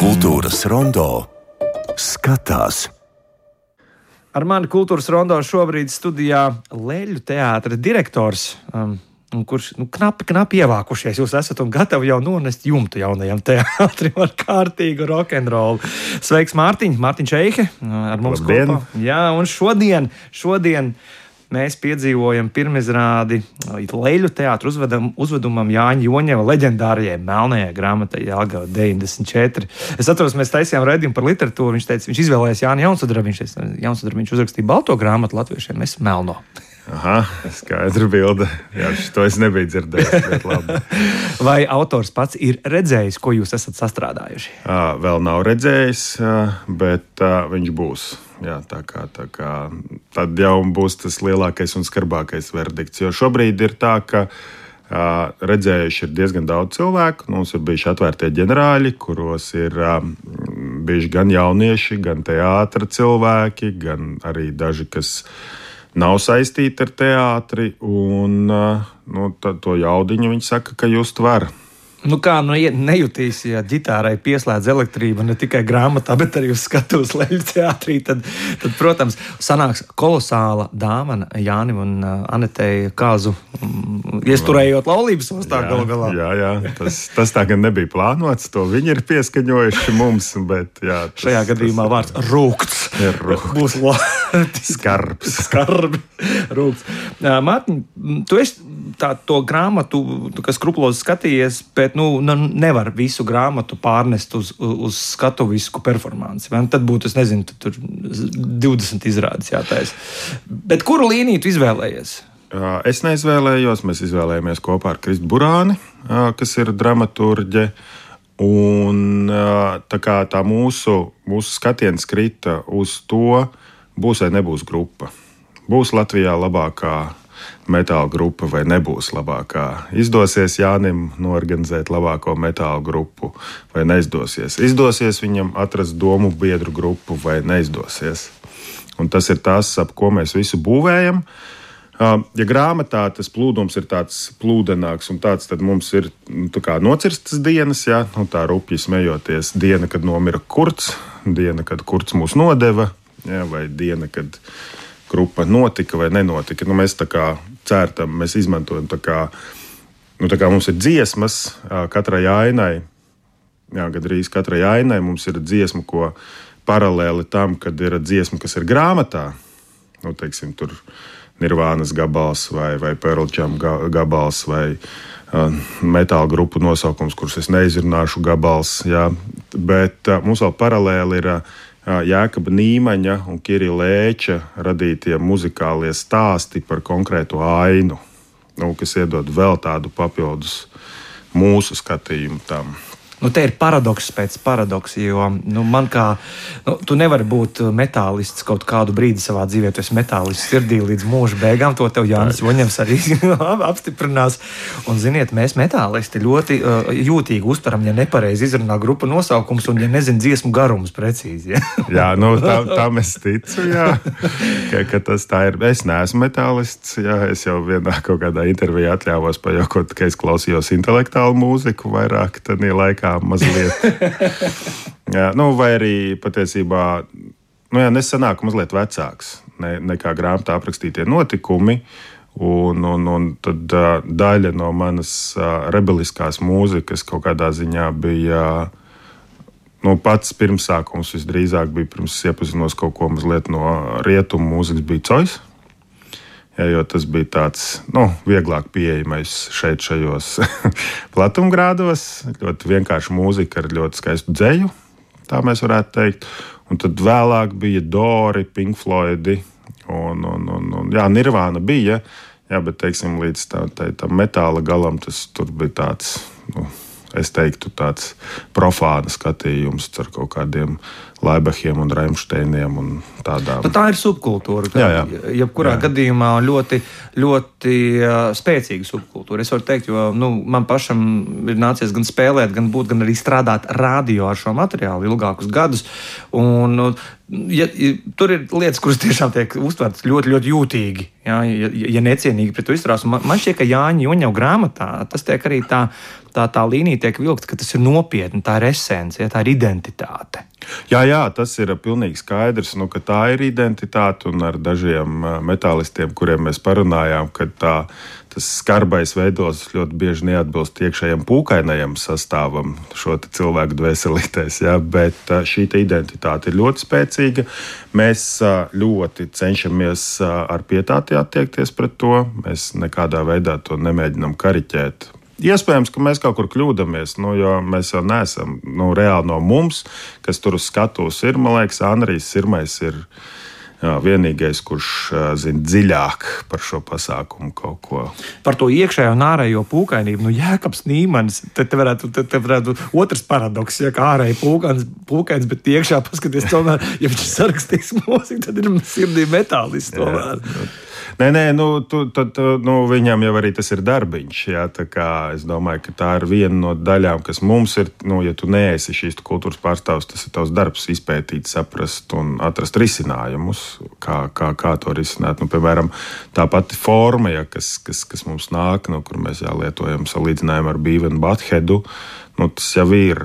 Kultūras rondo skatās. Ar mani kultūras rondo šobrīd studijā Leļu teātra direktors, kurš knapi ievākušies jūs esat un gatavi jau nonest jumtu jaunajam teātrim ar kārtīgu rokenrolu. Sveiks, Mārtiņ! Mārtiņš Eihe ar mums kopā. Jā, un šodien mēs piedzīvojam pirmizrādi Leļu teātra uzvedumam Jāņa Joņeva leģendārajai melnajai grāmatai Jelgava 94. Es atceros, mēs taisījām raidījumu par literatūru. Viņš izvēlējās Jāni Jaunsudrabu. Viņš uzrakstīja balto grāmatu latviešiem, mēs melno. Aha, skaidra bilde. Jā, to es nebiju dzirdējis. Vai autors pats ir redzējis, ko jūs esat sastrādājuši? Vēl nav redzējis, bet viņš būs. Jā, tā kā tad jau būs tas lielākais un skarbākais verdikts. Jo šobrīd ir tā, ka redzējuši ir diezgan daudz cilvēku. Mums ir bijuši atvērtie ģenerāļi, kuros ir bijuši gan jaunieši, gan teātra cilvēki, gan arī daži, kas nav saistīti ar teātri, un to jaudiņu viņi saka, ka just var. Nejutīs, ja ģitārai pieslēdz elektrība ne tikai grāmatā, bet arī uz skatuves Leļu teātrī, tad, protams, sanāks kolosāla dāvana Jānim un Anetei Kāzu, iesturējot laulības ostā galu galā. Jā, tas tā gan nebija plānots, to viņi ir pieskaņojuši mums, bet jā. Šajā gadījumā vārds rūkts. Būs skarbs. Rūkts. Mārtiņ, tu esi to grāmatu, kas skrupulozi skatījies, bet nevar visu grāmatu pārnest uz skatuvisku performanci. Tad būtu, es nezinu, tur 20 izrādes jātaisa. Bet kuru līniju tu izvēlējies? Es neizvēlējos, mēs izvēlējāmies kopā ar Kristu Burāni, kas ir dramaturģe. Un tā mūsu skatiens krita uz to, būs vai nebūs grupa. Būs Latvijā labākā metāla grupa vai nebūs labākā. Izdosies Jānim norganizēt labāko metāla grupu vai neizdosies. Izdosies viņam atrast domu biedru grupu vai neizdosies. Un tas ir tas, ap ko mēs visu būvējam. Ja grāmatā tas plūdums ir tāds plūdenāks un tāds, tad mums ir nocirstas dienas, jā, tā rupji smejoties. Diena, kad nomira Kurts, diena, kad Kurts mūs nodeva, jā, vai diena, kad grupa notika vai nenotika. Mēs tā kā cērtam, mēs izmantojam tā kā mums ir dziesmas katrai ainai. Jā, gandrīz katrai ainai mums ir dziesma, ko paralēli tam, kad ir dziesma, kas ir grāmatā. Teiksim, tur Nirvānas gabals vai Pearl Jam gabals vai metāla grupu nosaukums, kurus es neizrunāšu gabals. Jā. Bet mums vēl paralēli ir Jēkaba Nīmaņa un Kirila Lēča radītie muzikālie stāsti par konkrētu ainu, kas iedod vēl tādu papildus mūsu skatījumu tam. Te ir paradoks pēc paradoksa, jo man tu nevari būt metālists kaut kādu brīdi savā dzīvē, tu esi metālists sirdī līdz mūža beigām, to tev Jānis Joņevs arī apstiprinās. Un ziniet, mēs metālisti ļoti jūtīgi uztveram, ja nepareizi izrunā grupa nosaukums un ja nezin dziesmu garumus precīzi. Ja? Jā, tam es ticu, jā, ka tas tā ir. Es neesmu metālists, jā, es jau vienā kaut kādā intervijā atļāvos pajokot, ka es klausījos intelektuālu mūziku vairāk tādā laikā mazliet. Jā, vai arī patiesībā nesanāk mazliet vecāks nekā grāmatā aprakstītie notikumi. Un tad daļa no manas rebeliskās mūzikas kaut kādā ziņā bija pats pirmsākums visdrīzāk bija pirms iepazinos kaut ko mazliet no rietumu mūzikas bija Cois. Jā, jo tas bija tāds vieglāk pieejamais šajos platumgrādos. Ļoti vienkārša mūzika ar ļoti skaistu dzeju, tā mēs varētu teikt. Un tad vēlāk bija Dori, Pink Floydi un Nirvāna bija. Jā, bet teiksim, līdz tam metāla galam tas tur bija tāds, es teiktu, tāds profāna skatījums ar kaut kādiem Laibachiem un Raimšteiniem un tādām. Tā ir subkultūra. Jebkurā gadījumā ļoti, ļoti spēcīga subkultūra. Es varu teikt, jo man pašam ir nācies gan spēlēt, gan būt, gan arī strādāt radio ar šo materiālu ilgākus gadus. Un tur ir lietas, kuras tiešām tiek uztvertas ļoti, ļoti jūtīgi, ja necienīgi pret to izturās. Man šķiet, ka Jāņa Joņeva grāmatā tas tiek arī tā tā līnija tiek vilkta, ka tas ir nopietni, tā ir esence, ja, tā ir identitāte. Jā, tas ir pilnīgi skaidrs, ka tā ir identitāte, un ar dažiem metālistiem, kuriem mēs parunājām, ka tas skarbais veidos ļoti bieži neatbilst iekšējam pūkainajam sastāvam šo cilvēku dvēselītēs, ja, bet šī identitāte ir ļoti spēcīga. Mēs ļoti cenšamies ar pietāti attiekties pret to, mēs nekādā veidā to nemēģinam kariķēt. Iespējams, ka mēs kaut kur kļūdāmies, jo mēs jau neesam reāli no mums, kas tur uz skatuves ir. Man liekas, Andrijs Sirmais ir vienīgais, kurš zina dziļāk par šo pasākumu kaut ko. Par to iekšējo un ārējo pūkainību. Jēkabs Nīmanis, te varētu otrs paradoks, ja kā ārēji pūkains, bet iekšā paskaties tomēr, ja viņš sarakstīs mūziku, tad ir sirdī metālists tomēr. Nē, viņam jau arī tas ir darbiņš. Jā, tā kā es domāju, ka tā ir viena no daļām, kas mums ir, ja tu neesi šīs kultūras pārstāvs, tas ir tavs darbs izpētīt, saprast un atrast risinājumus, kā to risināt. Piemēram, tā pati forma, ja, kas mums nāk, kur mēs lietojam salīdzinājumu ar Beavis and Buttheadu, tas jau ir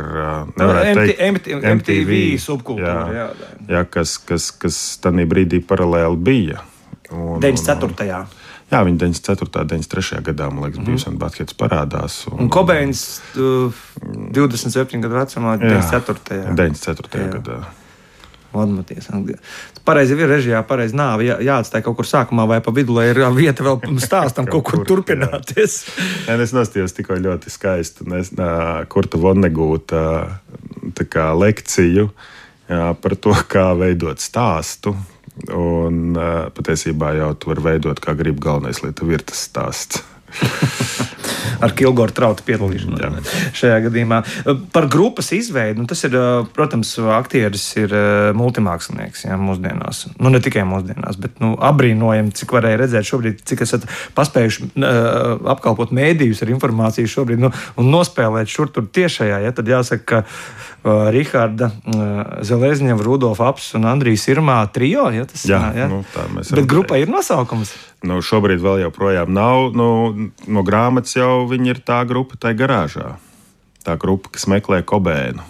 MTV subkultūra. Jā, kas tādā brīdī paralēli bija. 94. Jā, viņa 94. 93. gadā, man liekas, Beavis and Butthead parādās. Un Cobains 27 gadu vecumā 94. 94. gadā. Vadmaties. Pareizi ir režijā, pareizi nav jāatstāj kaut kur sākumā vai pa vidu, lai ir vieta vēl stāstam kaut kur turpināties. Es nostījos tikko ļoti skaistu Kurta Vonnegūta lekciju par to, kā veidot stāstu. Un patiesībā jau tu vari veidot, kā grib, galvenais, lai tev ir tas stāsts. Ar Kilgora Trauta piedalīšanos šajā gadījumā. Par grupas izveidi, tas ir, protams, aktieris ir multimākslinieks mūsdienās. Ne tikai mūsdienās, bet abrīnojami, cik varēja redzēt šobrīd, cik esat paspējuši apkalpot mēdījus ar informāciju šobrīd un nospēlēt šur tur tiešajā. Ja, tad jāsaka, ka Riharda Zelezņeva, Rudolfa Apsis un Andrijs Sirmā trio. Ja, tas, jā. Bet grupai ir nosaukums. Šobrīd vēl joprojām nav. No grāmatas jau viņi ir tā grupa tai garāžā. Tā grupa, kas meklē Kobēnu,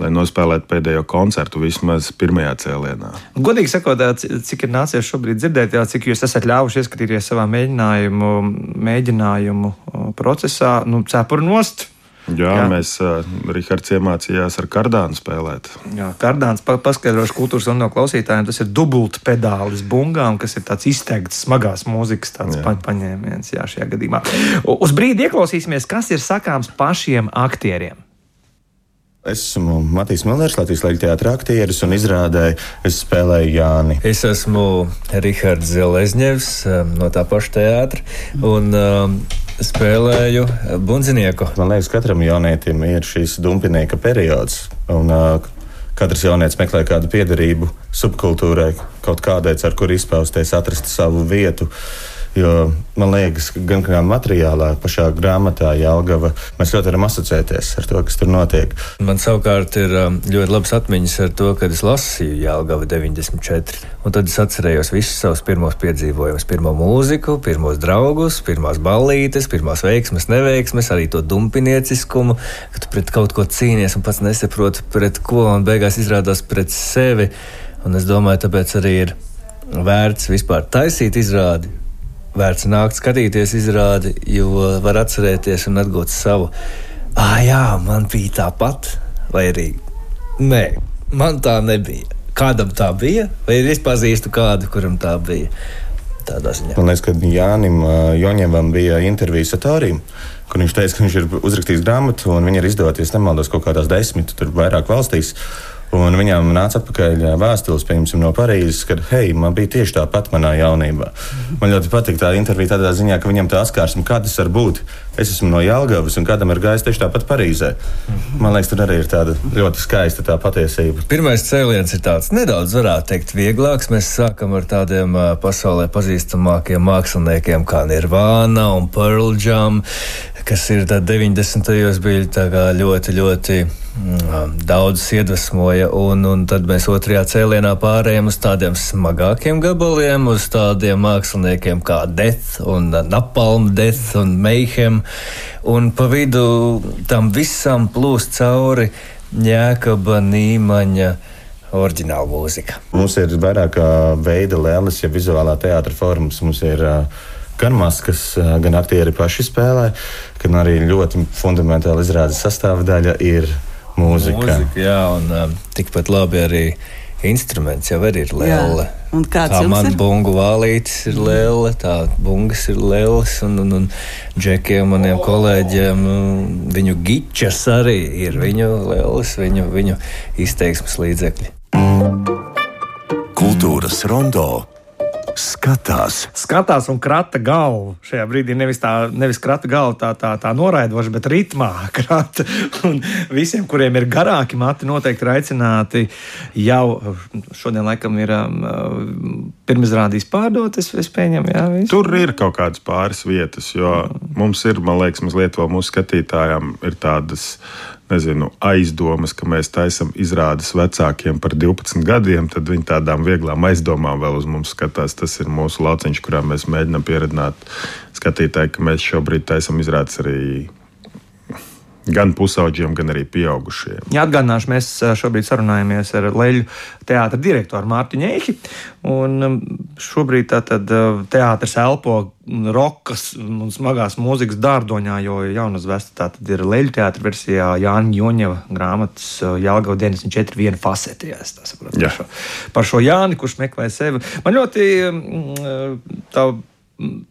lai nospēlētu pēdējo koncertu vismaz pirmajā cēlienā. Godīgi sakot, cik ir nācies šobrīd dzirdēt, cik jūs esat ļāvuši ieskatīties savā mēģinājumu procesā, cepuru nost. Jā, mēs Rihards iemācījās ar kardānu spēlēt. Jā, kardāns, paskaidrošu kultūras un no klausītājiem, tas ir dubultpedālis bungām, kas ir tāds izteikts smagās mūzikas paņēmiens šajā gadījumā. Uz brīdi ieklausīsimies, kas ir sakāms pašiem aktieriem. Es esmu Matīs Millers, Latvijas Leļu teātra aktieris, un izrādē es spēlēju Jāni. Es esmu Rihards Zelezņevs no tā paša teātra, un spēlēju bundzinieku. Man liekas, katram jaunietim ir šīs dumpinieka periods, un katrs jaunietis meklē kādu piederību subkultūrai, kaut kādai, ar kur izpausties, atrast savu vietu. Jo man liekas, gan kā materiālā, pašā grāmatā Jelgava, mēs ļoti varam asociēties ar to, kas tur notiek. Man savukārt ir ļoti labas atmiņas ar to, kad es lasīju Jelgava 94. Un tad es atcerējos visus savus pirmos piedzīvojumus. Pirmo mūziku, pirmos draugus, pirmās ballītes, pirmās veiksmes, neveiksmes, arī to dumpinieciskumu, ka tu pret kaut ko cīnies un pats nesaproti pret ko, un beigās izrādās pret sevi. Un es domāju, tāpēc arī ir vērts vispār taisīt izrādi. Vērts nākt skatīties izrādi, jo var atcerēties un atgūt savu. Jā, man bija tāpat, vai arī nē, man tā nebija. Kādam tā bija, vai es pazīstu kādu, kuram tā bija. Tādā ziņā. Man liekas, ka Jānim Joņevam bija intervija Satārim, kur viņš teica, ka viņš ir uzrakstījis grāmatu, un viņa ir izdoties, nemaldos, kaut kādās 10, tur vairāk valstīs. Un viņām nāca atpakaļ vēstules, piemēram, no Parīzes, kad, hei, man bija tieši tāpat manā jaunībā. Man ļoti patīk tā intervija tādā ziņā, ka viņam tā atkārsme, kā tas var būt. Es esmu no Jelgavas, un kādam ir gājis tieši tāpat Parīzē. Man liekas, tur arī ir tāda ļoti skaista tā patiesība. Pirmais cēliens ir tāds nedaudz, varētu teikt, vieglāks. Mēs sākam ar tādiem pasaulē pazīstamākiem māksliniekiem kā Nirvana un Pearl Jam, kas ir 90. bija tā kā ļoti daudz iedvesmoja, un tad mēs otrajā cēlienā pārējām uz tādiem smagākiem gabaliem, uz tādiem māksliniekiem kā Death un Napalm Death un Mayhem, un pa vidu tam visam plūst cauri Jēkaba Nīmaņa oriģināla mūzika. Mums ir vairāk veida lēles, ja vizuālā teātra formas. Mums ir gan maskas, gan aktieri paši spēlē, gan arī ļoti fundamentāli izrādes sastāvdaļa ir mūzika. Jā, un tikpat labi arī instruments jau ir lēle. Un kāds tā man ir? bungu vālītis ir lēle, tā bungas ir lēles, un džekiem, maniem kolēģiem, viņu gičas arī ir viņu lēles, viņu izteiksmes līdzekļi. Kultūras rondo skatās un krata galvu. Šajā brīdī nevis krata galvu tā noraidoši, bet ritmā krata. Un visiem, kuriem ir garāki mati, noteikti ir aicināti jau šodien laikam ir pirmizrādīs pārdot, es pieņemu, jā, visu. Tur ir kaut kādas pāris vietas, jo mums ir, man liekas, mazliet vēl mūsu skatītājām ir tādas, aizdomas, ka mēs taisam izrādes vecākiem par 12 gadiem, tad viņi tādām vieglām aizdomām vēl uz mums skatās. Tas ir mūsu lauciņš, kurā mēs mēģinām pieredzināt skatītāji, ka mēs šobrīd taisam izrādes arī gan pusauģiem, gan arī pieaugušiem. Jā, atgādināšu, mēs šobrīd sarunājamies ar Leļu teātra direktoru Mārtu Ņeihi, un šobrīd tātad teātris elpo rokas un smagās mūzikas dārdoņā, jo jaunuzvesta tātad ir Leļu teātra versijā Jāņa Joņeva grāmatas Jelgava 94 viena fasete, ja es tā saprotu, par šo Jāni, kurš meklē sevi. Man ļoti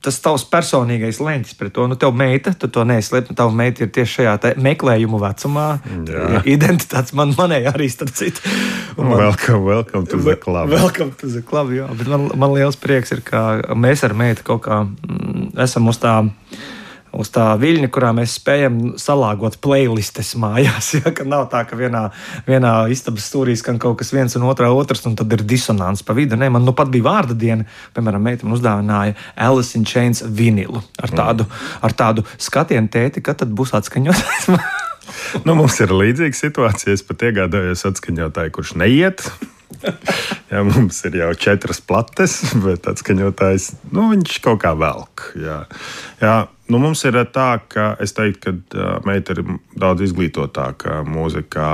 tas tavs personīgais leņķis pret to. Tev meita, tu to neizslēp, tava meita ir tieši šajā meklējumu vecumā. Jā. Identitātes manēja arī starp citu. Welcome to the club. Welcome to the club, jā. Bet man liels prieks ir, ka mēs ar meitu kaut kā esam uz tā viļņa, kurā mēs spējam salāgot playlistes mājās. Ja, ka nav tā, ka vienā istabas stūrī skan kaut kas viens un otrs, un tad ir disonants pa vidu. Nē, man pat bija vārda diena, piemēram, meita man uzdāvināja Alice in Chains vinilu ar tādu skatienu tēti, kad tad būs atskaņots. Mums ir līdzīga situācija. Es pat iegādājos atskaņotāju, kurš neiet. Jā, mums ir jau 4 plates, bet atskaņotājs, viņš kaut kā velk. Jā, mums ir tā, ka es teiktu, ka meita ir daudz izglītotāka mūzikā,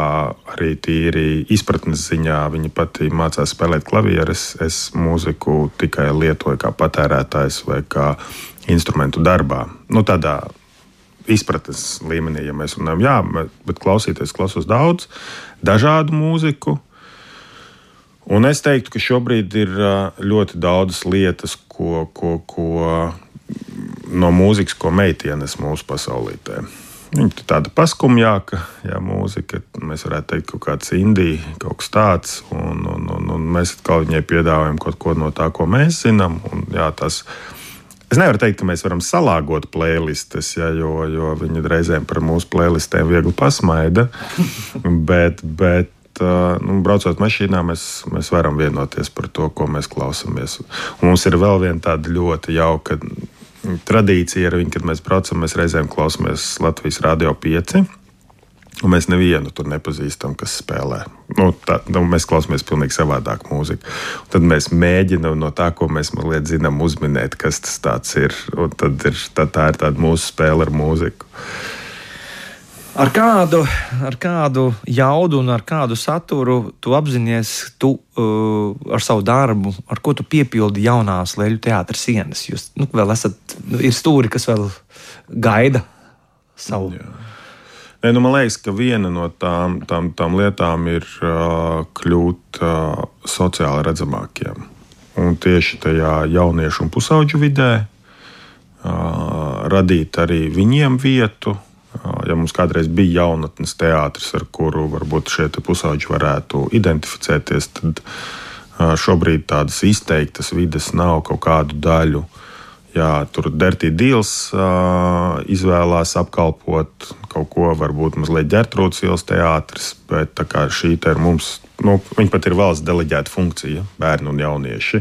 arī tīri izpratnes ziņā. Viņa pati mācās spēlēt klavieres. Es mūziku tikai lietoju kā patērētājs vai kā instrumentu darbā. Tādā izpratnes līmenī, ja mēs runājam, jā, bet klausos daudz dažādu mūziku. Un es teiktu, ka šobrīd ir ļoti daudzas lietas, ko no mūzikas, ko meitienes mūsu pasaulītē. Viņa ir tāda paskumjāka, jā, mūzika, mēs varētu teikt, kaut kāds indija, kaut kas tāds, un mēs atkal viņai piedāvājam kaut ko no tā, ko mēs zinām. Un, jā, es nevaru teikt, ka mēs varam salāgot playlistes, jā, jo viņi reizēm par mūsu playlistēm viegli pasmaida, bet braucot mašīnā, mēs varam vienoties par to, ko mēs klausāmies. Un mums ir vēl viena tāda ļoti jauka tradīcija ar viņu, kad mēs braucam, mēs reizēm klausāmies Latvijas Radio 5, un mēs nevienu tur nepazīstam, kas spēlē. Mēs klausāmies pilnīgi savādāk mūziku. Un tad mēs mēģinām no tā, ko mēs mazliet zinām, uzminēt, kas tas tāds ir. Un tad tā ir tāda mūsu spēle ar mūziku. Ar kādu jaudu un ar kādu saturu tu apzinies ar savu darbu, ar ko tu piepildi jaunās Leļu teātra sienas? Jūs vēl ir stūri, kas vēl gaida savu. Jā. Man liekas, ka viena no tām lietām ir kļūt sociāli redzamākiem. Un tieši tajā jauniešu un pusauģu vidē radīt arī viņiem vietu. Ja mums kādreiz bija jaunatnes teātris, ar kuru varbūt šie pusauģi varētu identificēties, tad šobrīd tādas izteiktas vides nav kaut kādu daļu. Jā, tur Dirty Deals izvēlās apkalpot kaut ko, varbūt mazliet Ģertrūdes ielas teātris, bet tā kā šī te ir mums, viņa pat ir valsts deleģēta funkcija, bērni un jaunieši,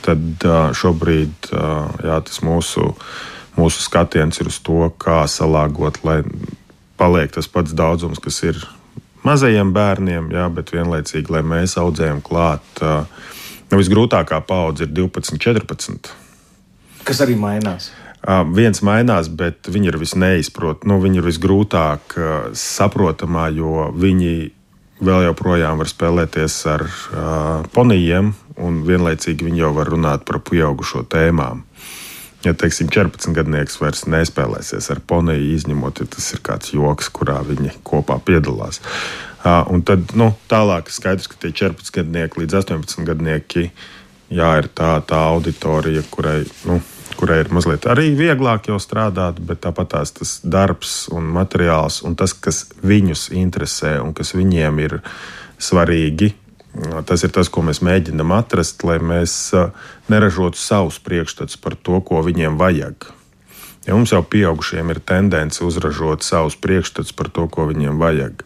tad šobrīd tas mūsu skatiens ir uz to, kā salāgot, lai paliek tas pats daudzums, kas ir mazajiem bērniem, jā, bet vienlaicīgi, lai mēs audzējam klāt. Visgrūtākā paudze ir 12, 14. Kas arī mainās. Viens mainās, bet viņi ir visneizprot, viņi ir visgrūtāk saprotamā, jo viņi vēl joprojām var spēlēties ar ponijiem, un vienlaicīgi viņi jau var runāt par pieaugušo tēmām. Ja, teiksim, 14-gadnieks vairs nespēlēsies ar poniju, izņemot, ja tas ir kāds joks, kurā viņi kopā piedalās. Un tad, tālāk skaidrs, ka tie 14-gadnieki līdz 18-gadnieki, ir tā auditorija, kurai ir mazliet arī vieglāk jau strādāt, bet tāpat tas darbs un materiāls un tas, kas viņus interesē un kas viņiem ir svarīgi, tas ir tas, ko mēs mēģinām atrast, lai mēs neražotu savus priekšstats par to, ko viņiem vajag. Ja mums jau pieaugušiem ir tendence uzražot savus priekšstats par to, ko viņiem vajag.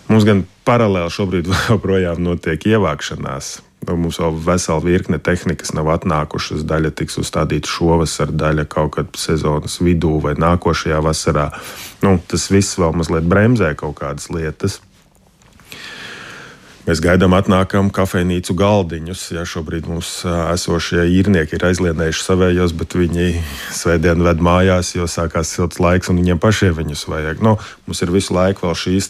Mums gan paralēli šobrīd joprojām notiek ievākšanās. Mums vēl vesela virkne tehnikas nav atnākušas, daļa tiks uzstādīta šovasar, daļa kaut kad sezonas vidū vai nākošajā vasarā. Tas viss vēl mazliet bremzē kaut kādas lietas. Mēs gaidām atnākam kafejnīcu galdiņus. Ja šobrīd mums esošie īrnieki ir aizlienējuši savējos, bet viņi svētdien ved mājās, jo sākās silts laiks un viņiem pašiem viņus vajag. Mums ir visu laiku vēl šīs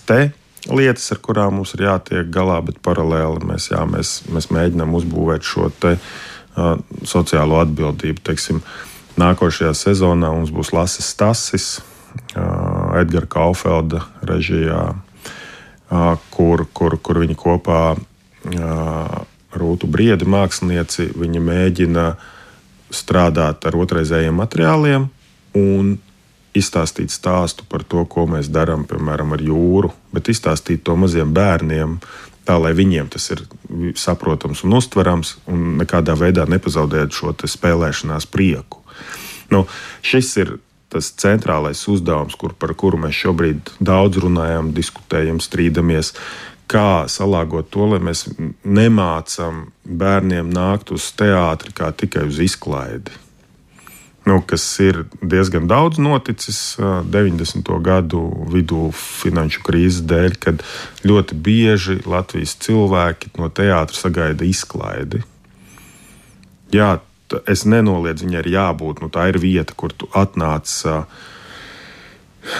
lietas, ar kurām mums ir jātiek galā, bet paralēli mēs mēģinām uzbūvēt šo sociālo atbildību. Teiksim, nākošajā sezonā mums būs Lases Stasis, Edgara Kaufelda režijā, kur viņi kopā Rūtu Briedi mākslinieci, viņi mēģina strādāt ar otrreizējiem materiāliem un izstāstīt stāstu par to, ko mēs darām, piemēram, ar jūru, bet izstāstīt to maziem bērniem, tā, lai viņiem tas ir saprotams un uztverams, un nekādā veidā nepazaudēt šo spēlēšanās prieku. Šis ir tas centrālais uzdevums, par kuru mēs šobrīd daudz runājam, diskutējam, strīdamies, kā salāgot to, lai mēs nemācam bērniem nākt uz teātri kā tikai uz izklaidi. Kas ir diezgan daudz noticis 90. gadu vidū finanšu krīzes dēļ, kad ļoti bieži Latvijas cilvēki no teātra sagaida izklaidi. Jā, es nenoliedzu, viņai ir jābūt, tā ir vieta, kur tu atnāc,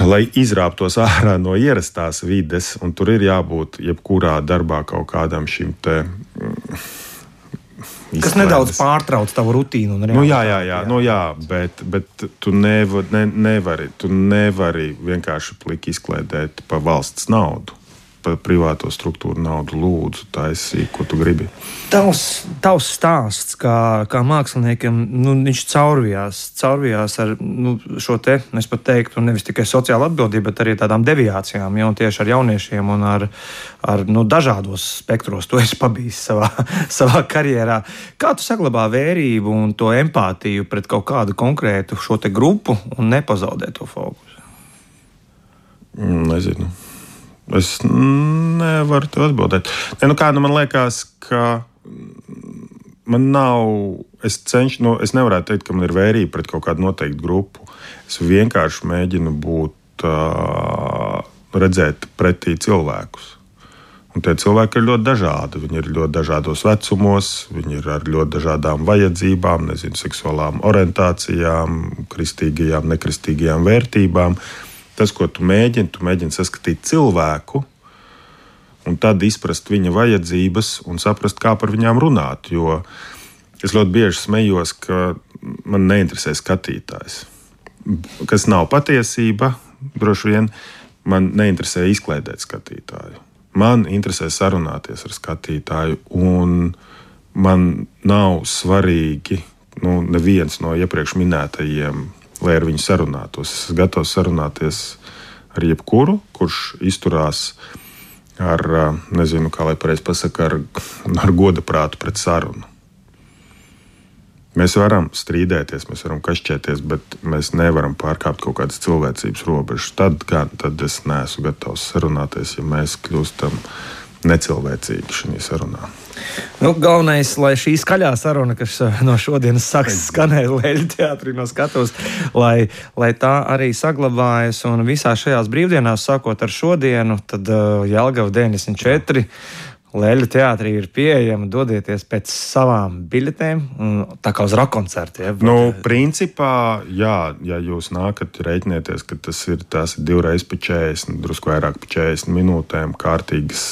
lai izrāptos ārā no ierastās vides, un tur ir jābūt jebkurā darbā kaut kādam šim kas nedaudz pārtrauc tavu rutīnu. Jā, bet tu nevari vienkārši pliki izkliedēt pa valsts naudu, pa privāto struktūru naudu. Lūdzu, taisī, ko tu gribi. Tavs stāsts, kā māksliniekam, viņš caurvijās ar šo es pat teiktu, nevis tikai sociālu atbildību, bet arī tādām deviācijām, un tieši ar jauniešiem un ar dažādos spektros. To esi pabijis savā karjerā. Kā tu saglabā vērību un to empātiju pret kaut kādu konkrētu šo grupu un nepazaudēt to fokusu? Nezinu. Es nevaru tev atbildēt. Man liekas, ka man nav. Es nevarētu teikt, ka man ir vērība pret kaut kādu noteiktu grupu. Es vienkārši mēģinu redzēt pretī cilvēkus. Un tie cilvēki ir ļoti dažādi. Viņi ir ļoti dažādos vecumos, viņi ir ar ļoti dažādām vajadzībām, seksuālām orientācijām, kristīgajām, nekristīgajām vērtībām. Tas, ko tu mēģini saskatīt cilvēku, un tad izprast viņa vajadzības un saprast, kā par viņām runāt. Jo es ļoti bieži smējos, ka man neinteresē skatītājs. Kas nav patiesība, droši vien man neinteresē izklaidēt skatītāju. Man interesē sarunāties ar skatītāju, un man nav svarīgi neviens no iepriekš minētajiem, lai ar viņu sarunātos. Es esmu gatavs sarunāties ar jebkuru, kurš izturās ar, nezinu, kā lai pareizi pasaka, ar godaprātu pret sarunu. Mēs varam strīdēties, mēs varam kašķēties, bet mēs nevaram pārkāpt kaut kādas cilvēcības robežas. Tad es neesmu gatavs sarunāties, ja mēs kļūstam necilvēcīgi šajā sarunā. Galvenais, lai šī skaļā saruna, kas no šodienas sāks skanēt Leļu teātrī no skatuves, lai tā arī saglabājas. Un visā šajās brīvdienās, sākot ar šodienu, tad Jelgava 94 Leļu teātrī ir pieejama, dodieties pēc savām biļetēm, tā kā uz rockkoncertu. Ja? Principā, jā, ja jūs nākat, reiķinieties, ka tās ir 2 reizes pa 40, drusku vairāk pa 40 minūtēm, kārtīgas,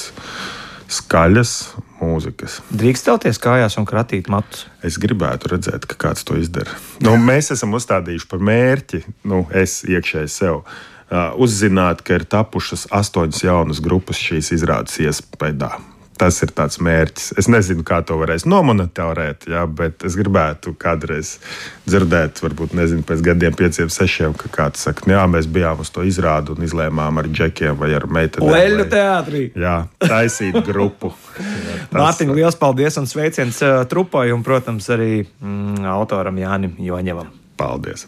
skaļas mūzikas. Drīkst celties kājās un kratīt matus? Es gribētu redzēt, ka kāds to izdara. Mēs esam uzstādījuši par mērķi, es iekšēji sev, uzzināt, ka ir tapušas 8 jaunas grupas šīs izrādes iespējā. Tas ir tāds mērķis. Es nezinu, kā to varēs nomonitārēt, bet es gribētu kādreiz dzirdēt, varbūt pēc gadiem 5, 6, ka kāds saka, jā, mēs bijām uz to izrādu un izlēmām ar džekiem vai ar meitenēm. Leļu teātrī! Jā, taisīt grupu. Mārtiņ, liels paldies un sveiciens trupai un, protams, arī autoram Jānim Joņevam. Paldies!